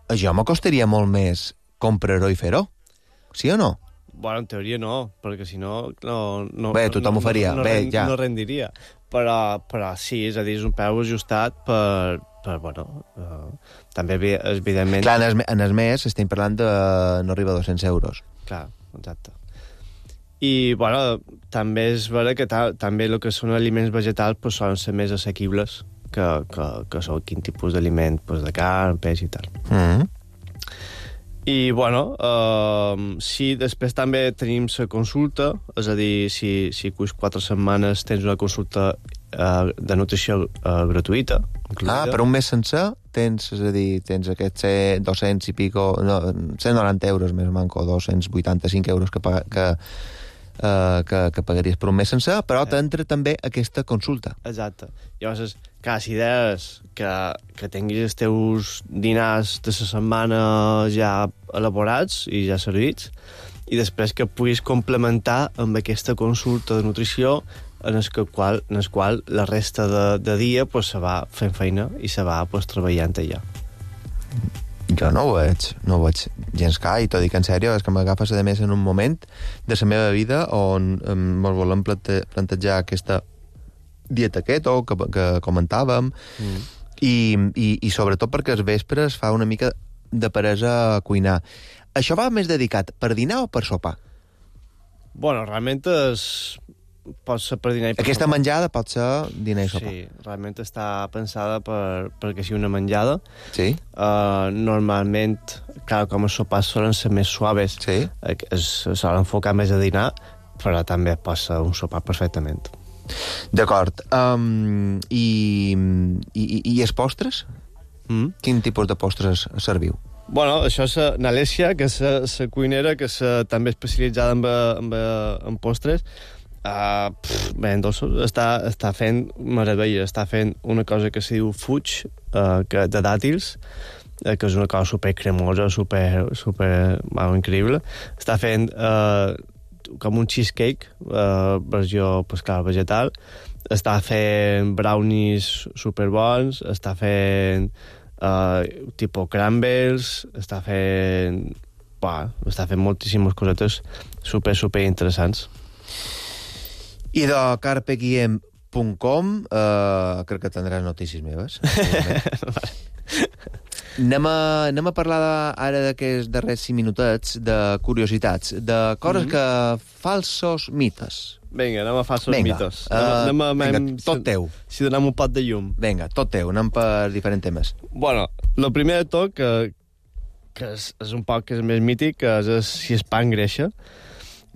Això m'acostaria molt més comprar-ho i fer-ho. Sí o no? Bueno, en teoria no, perquè si no... Bé, tothom ho faria. Bé, ja. No rendiria. Però sí, és a dir, és un preu ajustat per també, evidentment... Clar, en el mes estem parlant de no arriba a 200 euros. Clar, exacte. I, bueno, també és vera que també el que són aliments vegetals pues, solen ser més assequibles que són quin tipus d'aliment, pues, de carn, peix i tal. I, bueno, sí, després també tenim la consulta, és a dir, si cuis 4 setmanes tens una consulta de nutrició gratuïta. Incluïda. Per un mes sencer tens aquests 200 i pico, no, 190 euros més manco, 285 euros que pagaries per un mes sencer, però t'entra també aquesta consulta. Exacte. Llavors, clar, si deies que tinguis els teus dinars de la setmana ja elaborats i ja servits, i després que puguis complementar amb aquesta consulta de nutrició en el qual la resta de dia pues, se va fent feina i se va pues, treballant allà. Jo no ho veig gens clar, i t'ho dic en sèrio, és que m'agafes a més en un moment de la meva vida on ens volem plantejar aquesta dieta keto que comentàvem, i sobretot perquè els vespres fa una mica de peresa a cuinar. Això va més dedicat per dinar o per sopar? Bueno, realment pot ser per dinar i per aquesta sopar. menjada pot ser dinar i sopar. Sí, realment està pensada perquè sigui una menjada. Sí? Normalment, clar, com els sopars solen ser més suaves, sí? Solen enfocar més a dinar, però també pot ser un sopar perfectament. D'acord. I els postres? Quin tipus de postres serviu? Bueno, això és n'Alessia, que és la cuinera, que és també especialitzada en postres. Bé, en dolços està fent meravella, està fent una cosa que se diu fuig, de dàtils, que és una cosa super cremosa, super increïble. Està fent com un cheesecake, versió pues, clar, vegetal. Està fent brownies superbons, està fent tipus crumbles, està fent moltíssimes cosetes super interessants. I de carpeguiem.com crec que tindràs notícies meves. Anem a parlar ara d'aquests darrers 5 minutets de curiositats, de coses que... falsos mites. Vinga, anem a falsos mites. Vinga, tot teu. Si donem un pot de llum. Vinga, tot teu, anem per diferents temes. Bueno, el primer de tot, que és un poc que és més mític, és si el pa engreixa.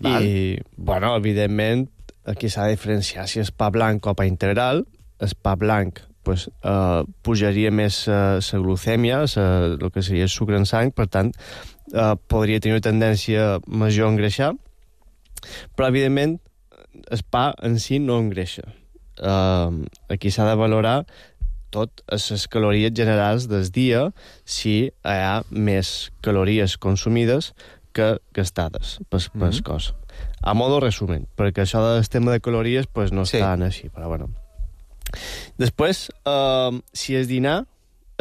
I, bueno, evidentment, aquí s'ha de diferenciar si és pa blanc o pa integral. El pa blanc pues, pujaria més la glucèmia, el que seria el sucre en sang, per tant, podria tenir una tendència major a engreixar, però, evidentment, el pa en si no engreixa. Aquí s'ha de valorar tot les calories generals del dia si hi ha més calories consumides que gastades pel cos. A modo resumen, perquè això del tema de calories pues, no és tan així, però bueno. Després, si és dinar,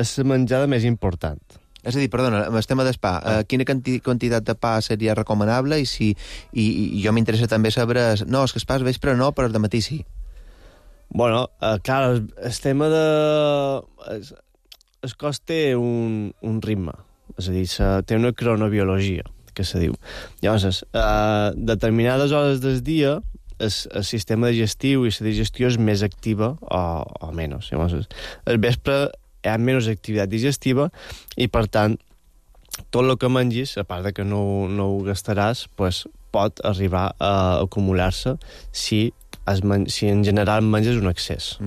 és la menjada més important. És a dir, perdona, amb el tema del pa, quina quantitat de pa seria recomanable i jo m'interessa també saber... No, és que el pa al vespre no, però al matí sí. Bueno, clar, el tema de... El cos té un ritme, és a dir, té una cronobiologia, que se diu. Llavors, determinades hores del dia el sistema digestiu i la digestió és més activa o menys. Llavors, al vespre hi ha menys activitat digestiva i, per tant, tot el que mengis, a part de que no ho gastaràs, pues, pot arribar a acumular-se si en general menges un excés.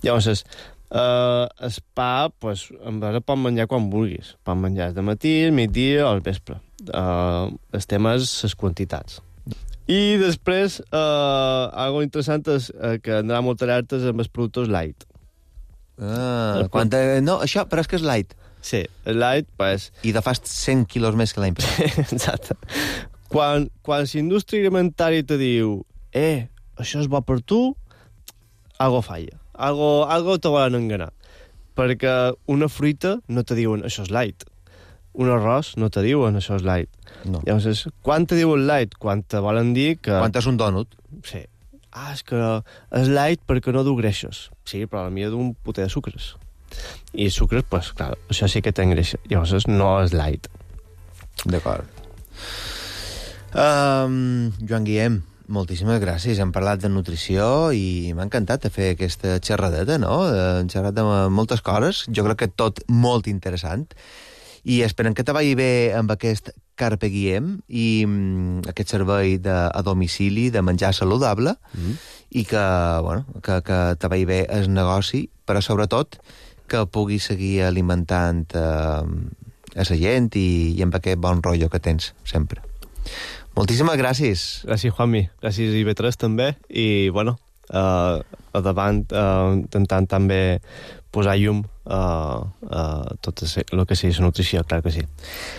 Llavors, el pa, pues, en veritat, pot menjar quan vulguis. Pot menjar de matí, al migdia o al vespre. El tema és les quantitats. I després, algo interessant és que andrà molt alertes amb els productes light. No, això, però és que és light. Sí, el light, pues... I de fa 100 quilos més que l'any passat. Exacte. Quan la indústria alimentària te diu això és bo per tu, algo falla. algo te volen enganar. Perquè una fruita no te diuen això és light. Un arròs no te diuen això és light. No. Llavors, quan te diuen light? Quan te volen dir que... Quan és un dònut? Sí. És que és light perquè no du greixos. Sí, però a mi du un puter de sucres. I sucres, pues, clar, això sí que té greix. Llavors no és light. D'acord. Joan Guillem, moltíssimes gràcies. Hem parlat de nutrició i m'ha encantat fer aquesta xerradeta, no? Hem xerrat de moltes coses. Jo crec que tot molt interessant. I esperem que te vagi bé amb aquest Carpe Diem i aquest servei a domicili de menjar saludable i que, bueno, que te vagi bé el negoci, però sobretot que puguis seguir alimentant a la gent i amb aquest bon rotllo que tens sempre. Moltíssimes gràcies. Gràcies, Juanmi. Gràcies, IB3, també. I, bueno, a davant intentant també posar llum a tot el que sigui la nutrició, clar que sí.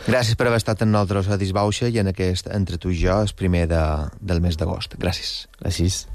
Gràcies per haver estat amb nosaltres a Disbauxa i en aquest Entre tu i jo, el primer del mes d'agost. Gràcies. Gràcies.